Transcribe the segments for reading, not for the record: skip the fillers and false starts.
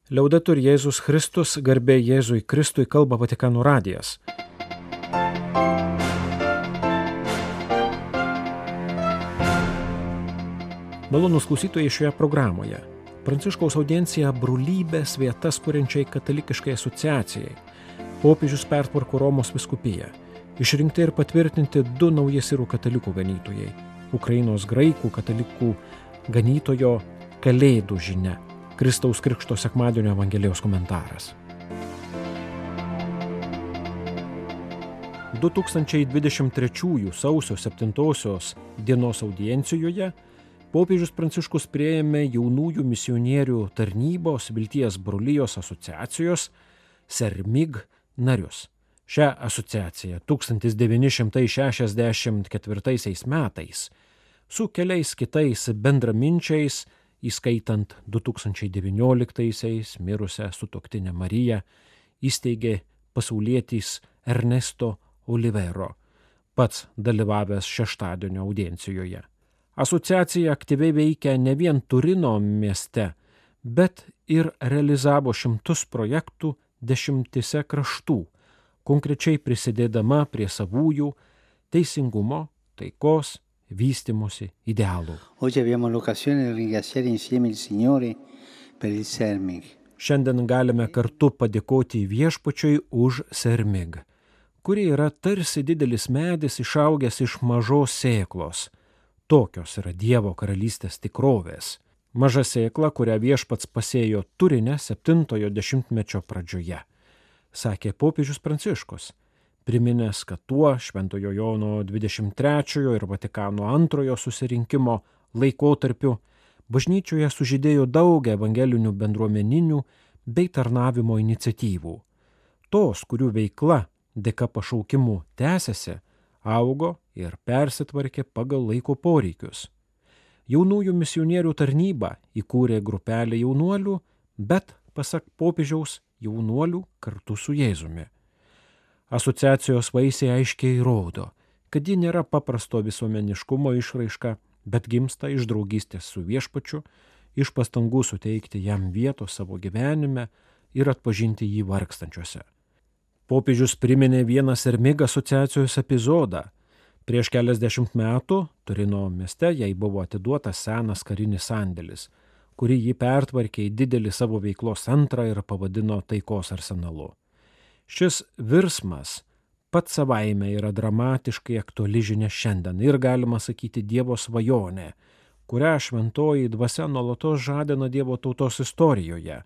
Liaudetur Jėzus Kristus, garbė Jėzui Kristui, kalba Vatikano radijas. Malonūs klausytojai šioje programoje. Pranciškaus audiencija brolybės vietas kuriančiai katalikiškai asociacijai. Popiežius pertvarko Romos vyskupiją. Išrinkti ir patvirtinti 2 nauji sirų katalikų ganytojai. Ukrainos graikų katalikų ganytojo Kalėdų žinia. Kristaus Krikšto sekmadienio Evangelijos komentaras. 2023 sausio 7 dienos audiencijoje popiežius Pranciškus priėmė jaunųjų misionierių tarnybos Vilties brolijos asociacijos Sermig narius. Šią asociaciją 1964 metais su keliais kitais bendraminčiais, įskaitant 2019 mirusią sutuoktinę Mariją, įsteigė pasaulietis Ernesto Olivero, pats dalyvavęs šeštadienio audiencijoje. Asociacija aktyviai veikia ne vien Turino mieste, bet ir realizavo 100 projektų 10 kraštų, konkrečiai prisidėdama prie savųjų teisingumo, taikos, vystymosi idealų. Šiandien galime kartu padėkoti viešpačiui už Sermig, kuri yra tarsi didelis medis išaugęs iš mažos sėklos. Tokios yra Dievo karalystės tikrovės. Maža sėkla, kurią viešpats pasėjo Turine 7-ojo dešimtmečio pradžioje, sakė popiežius Pranciškus, priminęs, kad tuo Šventojo Jono 23 ir Vatikano II susirinkimo laikotarpiu bažnyčioje sužydėjo daug evangelinių bendruomeninių bei tarnavimo iniciatyvų. Tos, kurių veikla dėka pašaukimų tęsiasi, augo ir persitvarkė pagal laiko poreikius. Jaunųjų misionierių tarnybą įkūrė grupelė jaunuolių, bet, pasak popiežiaus, jaunuolių kartu su Jėzumi. Asociacijos vaisiai aiškiai rodo, kad ji nėra paprasto visuomeniškumo išraiška, bet gimsta iš draugystės su viešpačiu, iš pastangų suteikti jam vietos savo gyvenime ir atpažinti jį vargstančiuose. Popiežius priminė vieną Sermig asociacijos epizodą. Prieš keliasdešimt metų Turino mieste jai buvo atiduotas senas karinis sandėlis, kurį ji pertvarkė į didelį savo veiklos centrą ir pavadino taikos arsenalu. Šis virsmas pats savaime yra dramatiškai aktuali žinia šiandien ir galima sakyti Dievo svajonė, kurią šventoji dvasia nuolatos žadina Dievo tautos istorijoje.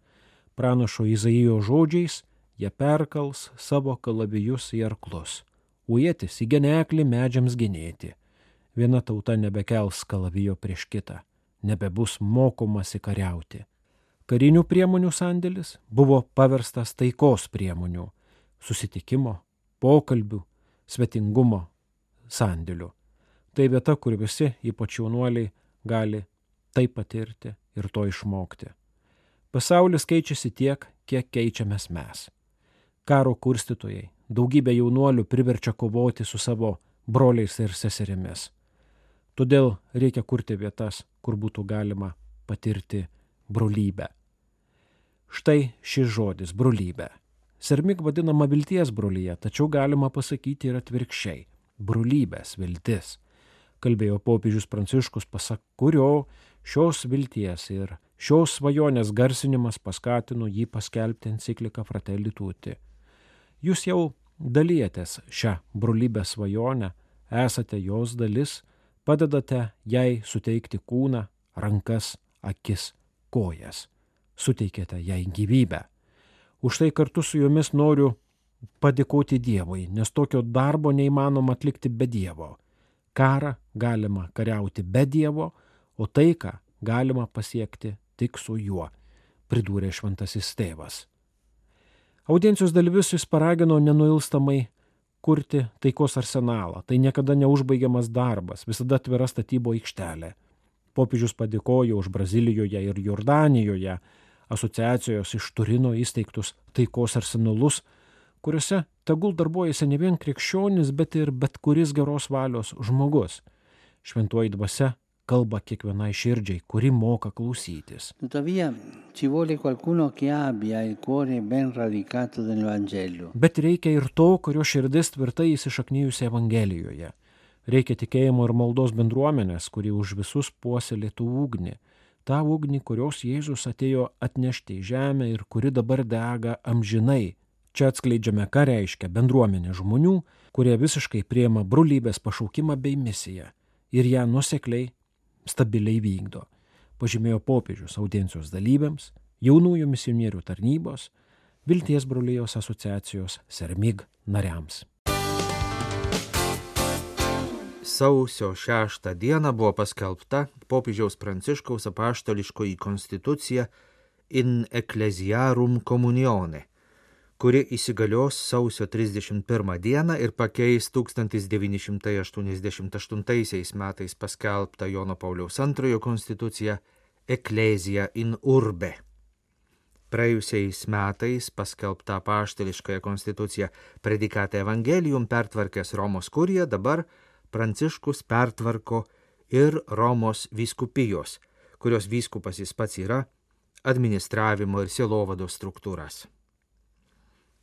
Pranašo Izaijo žodžiais, jie perkals savo kalavijus į arklus, o ietis į geneklį medžiams genėti. Viena tauta nebekels kalavijo prieš kitą, nebebus mokomasi kariauti. Karinių priemonių sandėlis buvo paverstas taikos priemonių, susitikimo, pokalbių, svetingumo sandėlių. Tai vieta, kur visi, ypač jaunuoliai, gali tai patirti ir to išmokti. Pasaulis keičiasi tiek, kiek keičiamės mes. Karo kurstytojai, daugybė jaunuolių priverčia kovoti su savo broliais ir seserimis. Todėl reikia kurti vietas, kur būtų galima patirti brolybę. Štai šis žodis – brolybė. Sermig vadinama vilties brolija, tačiau galima pasakyti ir atvirkščiai – brolybės viltis. Kalbėjo popiežius Pranciškus, pasak kurio šios vilties ir šios svajonės garsinimas paskatino jį paskelbti encikliką Fratelli Tutti. Jūs jau dalijatės šią brolybės svajonę, esate jos dalis, padedate jai suteikti kūną, rankas, akis, kojas. Suteikėte jai gyvybę. Už tai kartu su jumis noriu padėkoti Dievui, nes tokio darbo neįmanoma atlikti be Dievo. Karą galima kariauti be Dievo, o taiką galima pasiekti tik su juo, pridūrė šventasis tėvas. Audiencijos dalyvius jis paragino nenuilstamai kurti taikos arsenalą. Tai niekada neužbaigiamas darbas, visada atvira statybo aikštelė. Popiežius padėkojo už Brazilijoje ir Jordanijoje asociacijos iš Turino įsteigtus taikos arsenalus, kuriuose tegul darbuojasi ne vien krikščionis, bet ir bet kuris geros valios žmogus. Šventoji dvasia kalba kiekvienai širdžiai, kuri moka klausytis. Tuttavia ci vuole qualcuno che abbia il cuore ben radicato nel Vangelo. Bet reikia ir to, kurio širdis tvirtai įsišaknyjusi Evangelijoje. Reikia tikėjimo ir maldos bendruomenės, kuri už visus puoselėtų ugnį. Ta ugnį, kurios Jėzus atėjo atnešti į žemę ir kuri dabar dega amžinai. Čia atskleidžiame, ką reiškia bendruomenė žmonių, kurie visiškai priima brolybės pašaukimą bei misiją ir ją nuosekliai, stabiliai vykdo, pažymėjo popiežius audiencijos dalyviams, jaunųjų misionierių tarnybos, Vilties brolijos asociacijos Sermig nariams. Sausio 6 dieną buvo paskelbta popiežiaus Pranciškaus apaštališkoji konstitucija In Ecclesiarum Communione, kuri įsigalios sausio 31 dieną ir pakeis 1988 metais paskelbtą Jono Pauliaus II konstituciją Ecclesia in Urbe. Praėjusiais metais paskelbta apaštališkąją konstituciją Predicate Evangelium pertvarkęs Romos kurija, dabar Pranciškus pertvarko ir Romos vyskupijos, kurios vyskupas jis pats yra, administravimo ir sielovados struktūras.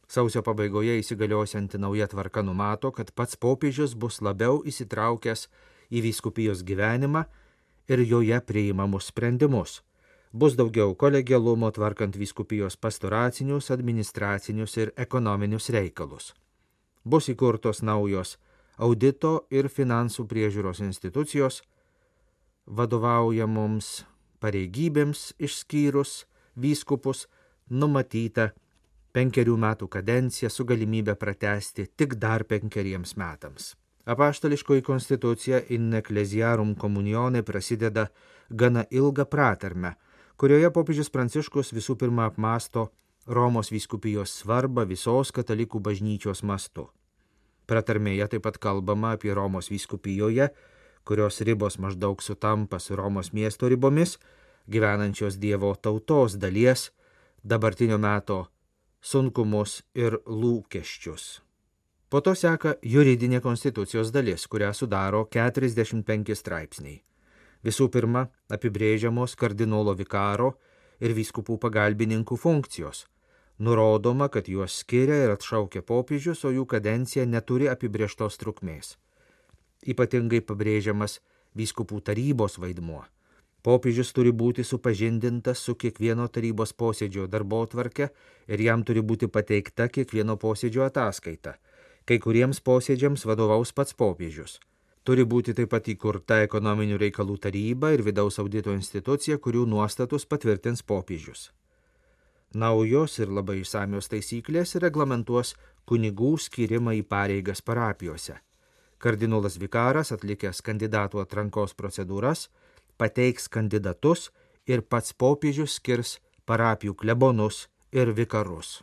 Sausio pabaigoje įsigaliosianti nauja tvarka numato, kad pats popiežius bus labiau įsitraukęs į vyskupijos gyvenimą ir joje priimamus sprendimus. Bus daugiau kolegialumo tvarkant vyskupijos pastoracinius, administracinius ir ekonominius reikalus. Bus įkurtos naujos audito ir finansų priežiūros institucijos, vadovaujamoms pareigybėms išskyrus vyskupus numatyta 5 metų kadencija su galimybė pratęsti tik dar 5 metams. Apaštališkoji konstitucija In Ecclesiarum Communione prasideda gana ilgą pratarmę, kurioje popiežius Pranciškus visų pirma apmąsto Romos vyskupijos svarbą visos katalikų bažnyčios mastu. Pratarmėje taip pat kalbama apie Romos vyskupijoje, kurios ribos maždaug sutampa su Romos miesto ribomis, gyvenančios Dievo tautos dalies, dabartinio meto sunkumus ir lūkesčius. Po to seka juridinė konstitucijos dalis, kurią sudaro 45 straipsniai. Visų pirma, apibrėžiamos kardinolo vikaro ir vyskupų pagalbininkų funkcijos. Nurodoma, kad juos skiria ir atšaukia popiežius, o jų kadencija neturi apibrėžtos trukmės. Ypatingai pabrėžiamas vyskupų tarybos vaidmuo. Popiežius turi būti supažindintas su kiekvieno tarybos posėdžio darbotvarke ir jam turi būti pateikta kiekvieno posėdžio ataskaita. Kai kuriems posėdžiams vadovaus pats popiežius. Turi būti taip pat įkurta ekonominių reikalų taryba ir vidaus audito institucija, kurių nuostatus patvirtins popiežius. Naujos ir labai išsamios taisyklės reglamentuos kunigų skyrimą į pareigas parapijose. Kardinolas vikaras, atlikęs kandidatų atrankos procedūras, pateiks kandidatus ir pats popiežius skirs parapijų klebonus ir vikarus.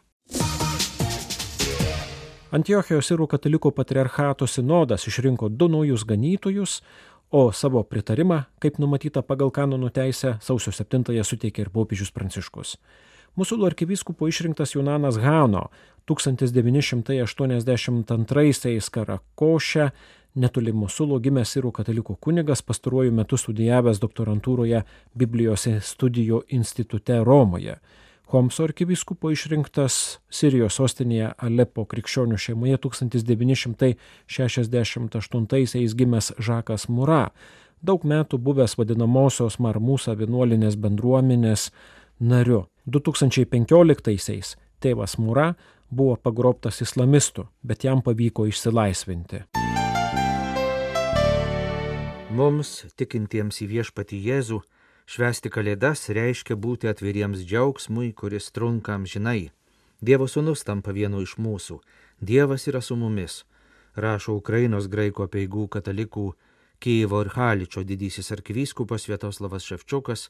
Antiochijos Sirų katalikų patriarchato sinodas išrinko 2 naujus ganytojus, o savo pritarimą, kaip numatyta pagal kanonų teisę, sausio 7 suteikė ir popiežius Pranciškus. Musulų arkivyskupu išrinktas Junanas Hano 1982 Karakoše, netoli Musulo gimęs Sirų katalikų kunigas, pastaruoju metu studijavęs doktorantūroje Biblijos studijų institute Romoje. Homso arkivyskupu išrinktas Sirijos sostinėje Alepo krikščionių šeimoje 1968 gimęs Žakas Mura, daug metų buvęs vadinamosios Marmusa vienuolinės bendruomenės nariu. 2015 tėvas Mura buvo pagrobtas islamistų, bet jam pavyko išsilaisvinti. Mums, tikintiems į viešpatį Jėzų, švęsti Kalėdas reiškia būti atviriems džiaugsmui, kuris trunka amžinai. Dievo sūnus tampa vienu iš mūsų. Dievas yra su mumis, rašo Ukrainos graikų apeigų katalikų Kijevo ir Haličo didysis arkivyskupas Sviatoslavas Ševčiukas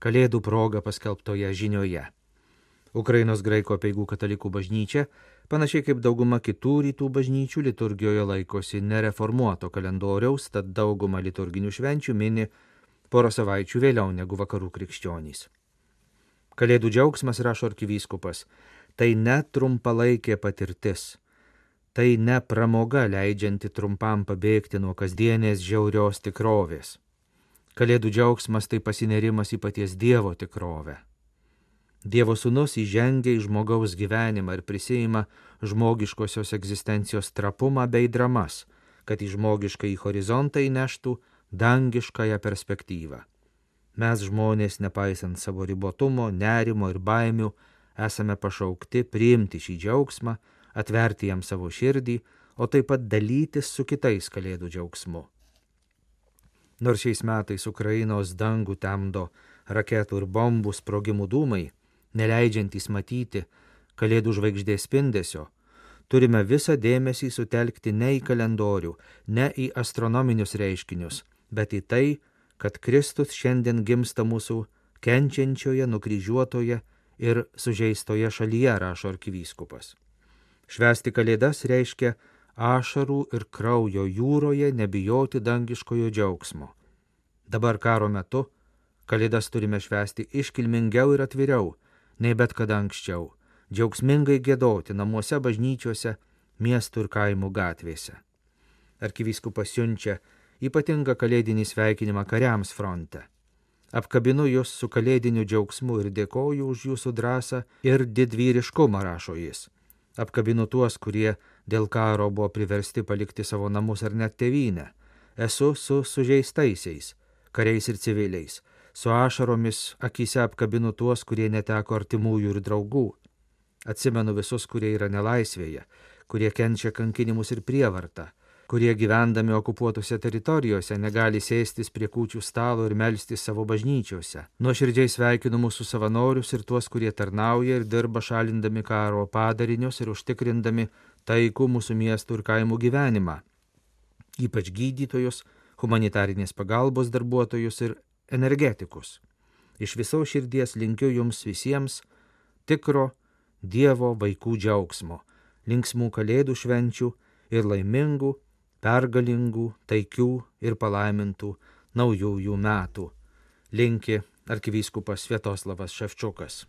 Kalėdų proga paskelbtoje žinioje. Ukrainos graikų apeigų katalikų bažnyčia, panašiai kaip dauguma kitų rytų bažnyčių, liturgijoje laikosi nereformuoto kalendoriaus, tad dauguma liturginių švenčių mini porą savaičių vėliau negu vakarų krikščionys. Kalėdų džiaugsmas, rašo arkivyskupas, tai ne trumpalaikė patirtis, tai ne pramoga leidžianti trumpam pabėgti nuo kasdienės žiaurios tikrovės. Kalėdų džiaugsmas tai pasinerimas į paties Dievo tikrovę. Dievo sūnus įžengia į žmogaus gyvenimą ir prisiima žmogiškosios egzistencijos trapumą bei dramas, kad į žmogišką į horizontą įneštų dangiškąją perspektyvą. Mes žmonės, nepaisant savo ribotumo, nerimo ir baimių, esame pašaukti priimti šį džiaugsmą, atverti jam savo širdį, o taip pat dalytis su kitais kalėdų džiaugsmu. Nors šiais metais Ukrainos dangų temdo raketų ir bombų sprogimų dūmai, neleidžiantys matyti kalėdų žvaigždės spindesio, turime visą dėmesį sutelkti ne į kalendorių, ne į astronominius reiškinius, bet į tai, kad Kristus šiandien gimsta mūsų kenčiančioje, nukryžiuotoje ir sužeistoje šalyje, rašo arkivyskupas. Švęsti kalėdas reiškia ašarų ir kraujo jūroje nebijoti dangiškojo džiaugsmo. Dabar karo metu kalėdas turime švęsti iškilmingiau ir atviriau, nei bet kada anksčiau, džiaugsmingai giedoti namuose, bažnyčiose, miestų ir kaimų gatvėse. Arkivyskupas siunčia ypatingą kalėdinį sveikinimą kariams fronte. Apkabinu jūs su kalėdiniu džiaugsmu ir dėkoju už jūsų drąsą ir didvyriškumą, rašo jis. Apkabinu tuos, kurie dėl karo buvo priversti palikti savo namus ar net tėvynę. Esu su sužeistaisiais, kariais ir civiliais. Su ašaromis akyse apkabinu tuos, kurie neteko artimųjų ir draugų. Atsimenu visus, kurie yra nelaisvėje, kurie kenčia kankinimus ir prievartą, kurie gyvendami okupuotose teritorijose negali sėstis prie kūčių stalo ir melstis savo bažnyčiose. Nuoširdžiai sveikinu mūsų savanorius ir tuos, kurie tarnauja ir dirba šalindami karo padarinius ir užtikrindami taikų mūsų miestų ir kaimų gyvenimą, ypač gydytojus, humanitarinės pagalbos darbuotojus ir energetikus. Iš viso širdies linkiu jums visiems tikro Dievo vaikų džiaugsmo, linksmų kalėdų švenčių ir laimingų, pergalingų, taikių ir palaimintų naujųjų metų. Linki arkivyskupas Sviatoslavas Ševčiukas.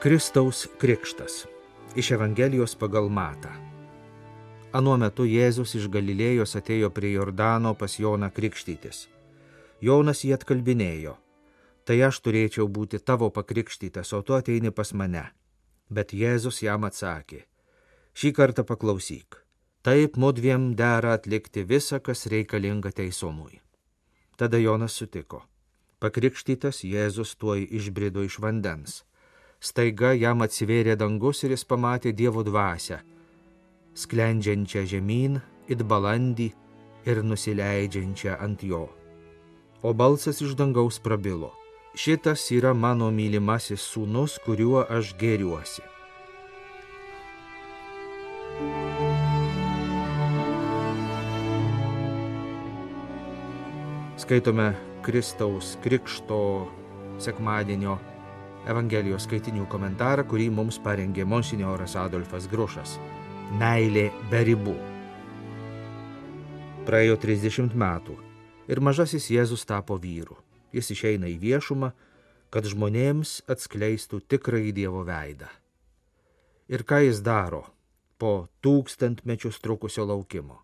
Kristaus krikštas iš Evangelijos pagal Matą. Anuo metu Jėzus iš Galilėjos atėjo prie Jordano pas Joną krikštytis. Jonas jį atkalbinėjo: tai aš turėčiau būti tavo pakrikštytas, o tu ateini pas mane. Bet Jėzus jam atsakė: šį kartą paklausyk. Taip mudviem dera atlikti visą, kas reikalinga teisumui. Tada Jonas sutiko. Pakrikštytas Jėzus tuoj išbrido iš vandens. Staiga jam atsivėrė dangus ir jis pamatė Dievo dvasią, sklendžiančią žemyn it balandį ir nusileidžiančią ant jo. O balsas iš dangaus prabilo: šitas yra mano mylimasis sūnus, kuriuo aš gėriuosi. Skaitome Kristaus krikšto sekmadienio Evangelijos skaitinių komentarą, kurį mums parengė monsinjoras Adolfas Grušas. Meilė be ribų. Praėjo 30 metų ir mažasis Jėzus tapo vyru. Jis išeina į viešumą, kad žmonėms atskleistų tikrąjį Dievo veidą. Ir ką jis daro po 1000 mečius trukusio laukimo?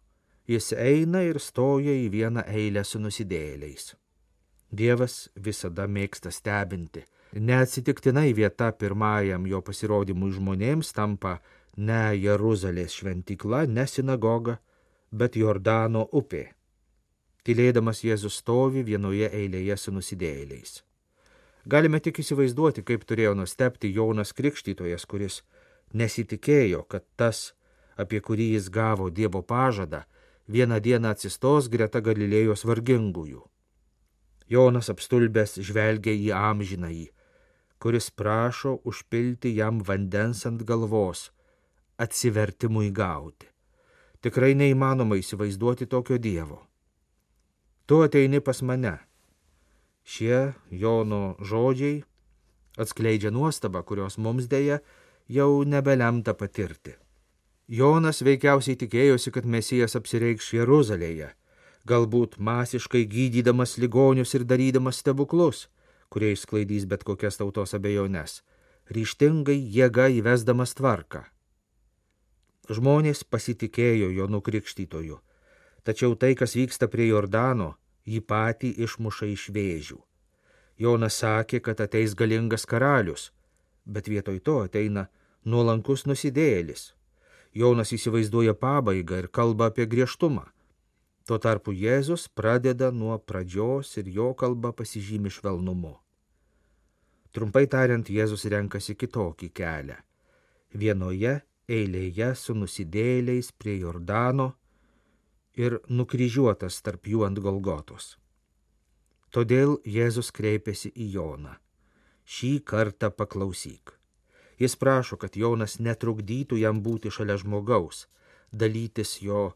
Jis eina ir stoja į vieną eilę su nusidėjėliais. Dievas visada mėgsta stebinti. Neatsitiktinai vieta pirmajam jo pasirodymui žmonėms tampa ne Jeruzalės šventykla, ne sinagoga, bet Jordano upė. Tylėdamas Jėzus stovi vienoje eilėje su nusidėjėliais. Galime tik įsivaizduoti, kaip turėjo nustebti Jonas Krikštytojas, kuris nesitikėjo, kad tas, apie kurį jis gavo Dievo pažadą, vieną dieną atsistos greta Galilėjos vargingųjų. Jonas apstulbęs žvelgia į amžinąjį, kuris prašo užpilti jam vandens ant galvos, atsivertimui gauti. Tikrai neįmanoma įsivaizduoti tokio Dievo. Tu ateini pas mane. Šie Jono žodžiai atskleidžia nuostabą, kurios mums dėja jau nebelemta patirti. Jonas veikiausiai tikėjosi, kad Mesijas apsireikš Jeruzalėje, galbūt masiškai gydydamas ligonius ir darydamas stebuklus, kurie išsklaidys bet kokias tautos abejones. ryžtingai jėga įvesdamas tvarką. Žmonės pasitikėjo Jonu Krikštytoju, tačiau tai, kas vyksta prie Jordano, jį patį išmuša iš vėžių. Jonas sakė, kad ateis galingas karalius, bet vietoj to ateina nuolankus nusidėjėlis. Jonas įsivaizduoja pabaigą ir kalba apie griežtumą. Tuo tarpu Jėzus pradeda nuo pradžios ir jo kalba pasižymi švelnumu. Trumpai tariant, Jėzus renkasi kitokį kelią. Vienoje eilėje su nusidėjėliais prie Jordano ir nukryžiuotas tarp jų ant Golgotos. Todėl Jėzus kreipiasi į Joną. Šį kartą paklausyk. Jis prašo, kad Jonas netrukdytų jam būti šalia žmogaus, dalytis jo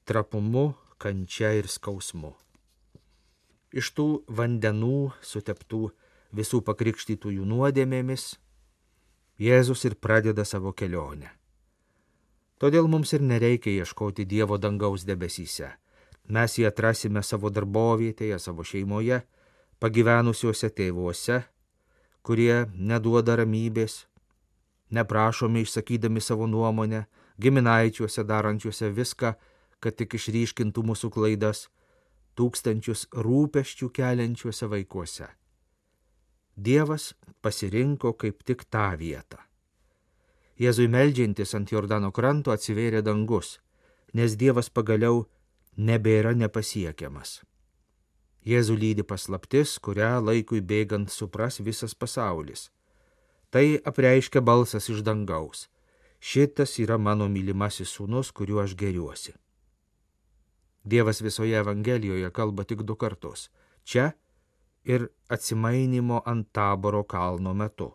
trapumu, kančia ir skausmu. Iš tų vandenų suteptų visų pakrikštytųjų nuodėmėmis Jėzus ir pradeda savo kelionę. Todėl mums ir nereikia ieškoti Dievo dangaus debesyse. Mes jį atrasime savo darbovietėje, savo šeimoje, pagyvenusiuose tėvuose, kurie neduoda ramybės, neprašomi išsakydami savo nuomonę, giminaičiuose darančiuose viską, kad tik išryškintų mūsų klaidas, tūkstančius rūpesčių keliančiuose vaikuose. Dievas pasirinko kaip tik tą vietą. Jėzui meldžiantis ant Jordano kranto atsivėrė dangus, nes Dievas pagaliau nebėra nepasiekiamas. Jėzų lydi paslaptis, kurią laikui bėgant supras visas pasaulis. Tai apreiškia balsas iš dangaus. Šitas yra mano mylimasis sūnus, kuriuo aš gėriuosi. Dievas visoje Evangelijoje kalba tik 2 kartus. Čia ir atsimainymo ant Taboro kalno metu.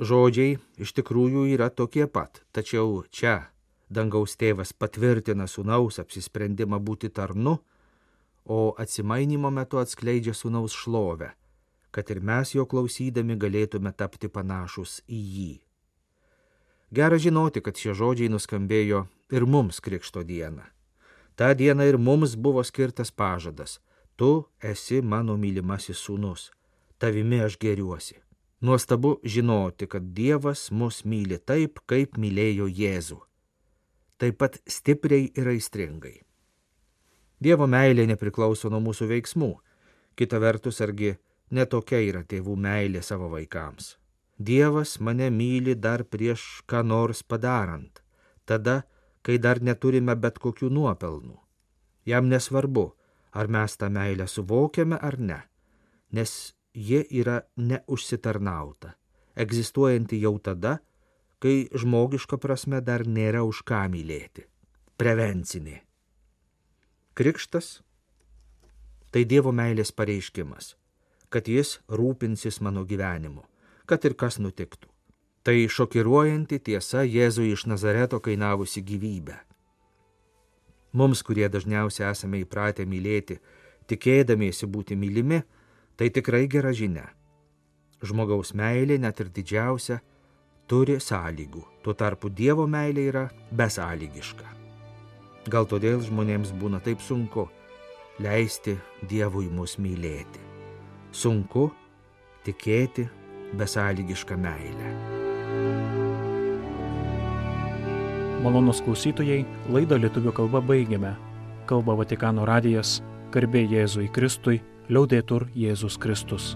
Žodžiai iš tikrųjų yra tokie pat, tačiau čia dangaus tėvas patvirtina sūnaus apsisprendimą būti tarnu, o atsimainymo metu atskleidžia sūnaus šlovę, kad ir mes jo klausydami galėtume tapti panašus į jį. Gera žinoti, kad šie žodžiai nuskambėjo ir mums Krikšto dieną. Ta diena ir mums buvo skirtas pažadas: tu esi mano mylimasis sūnus, tavimi aš gėriuosi. Nuostabu žinoti, kad Dievas mus myli taip, kaip mylėjo Jėzų. Taip pat stipriai ir aistringai. Dievo meilė nepriklauso nuo mūsų veiksmų. Kita vertus, argi netokia yra tėvų meilė savo vaikams. Dievas mane myli dar prieš ką nors padarant, tada, kai dar neturime bet kokių nuopelnų. Jam nesvarbu, ar mes tą meilę suvokiame ar ne, nes ji yra neužsitarnauta, egzistuojanti jau tada, kai žmogiška prasme dar nėra už ką mylėti. Prevencinė. Krikštas – tai Dievo meilės pareiškimas, kad jis rūpinsis mano gyvenimu, kad ir kas nutiktų. Tai šokiruojanti tiesa Jėzui iš Nazareto kainavusi gyvybę. Mums, kurie dažniausiai esame įpratę mylėti, tikėdamiesi būti mylimi, tai tikrai gera žinia. Žmogaus meilė, net ir didžiausia, turi sąlygų. Tuo tarpu Dievo meilė yra besąlygiška. Gal todėl žmonėms būna taip sunku leisti Dievui mus mylėti. Sunku tikėti besąlygišką meilę. Malonūs klausytojai, laidą lietuvių kalba baigiame. Kalba Vatikano radijas, garbė Jėzui Kristui, liaudetur Jėzus Kristus.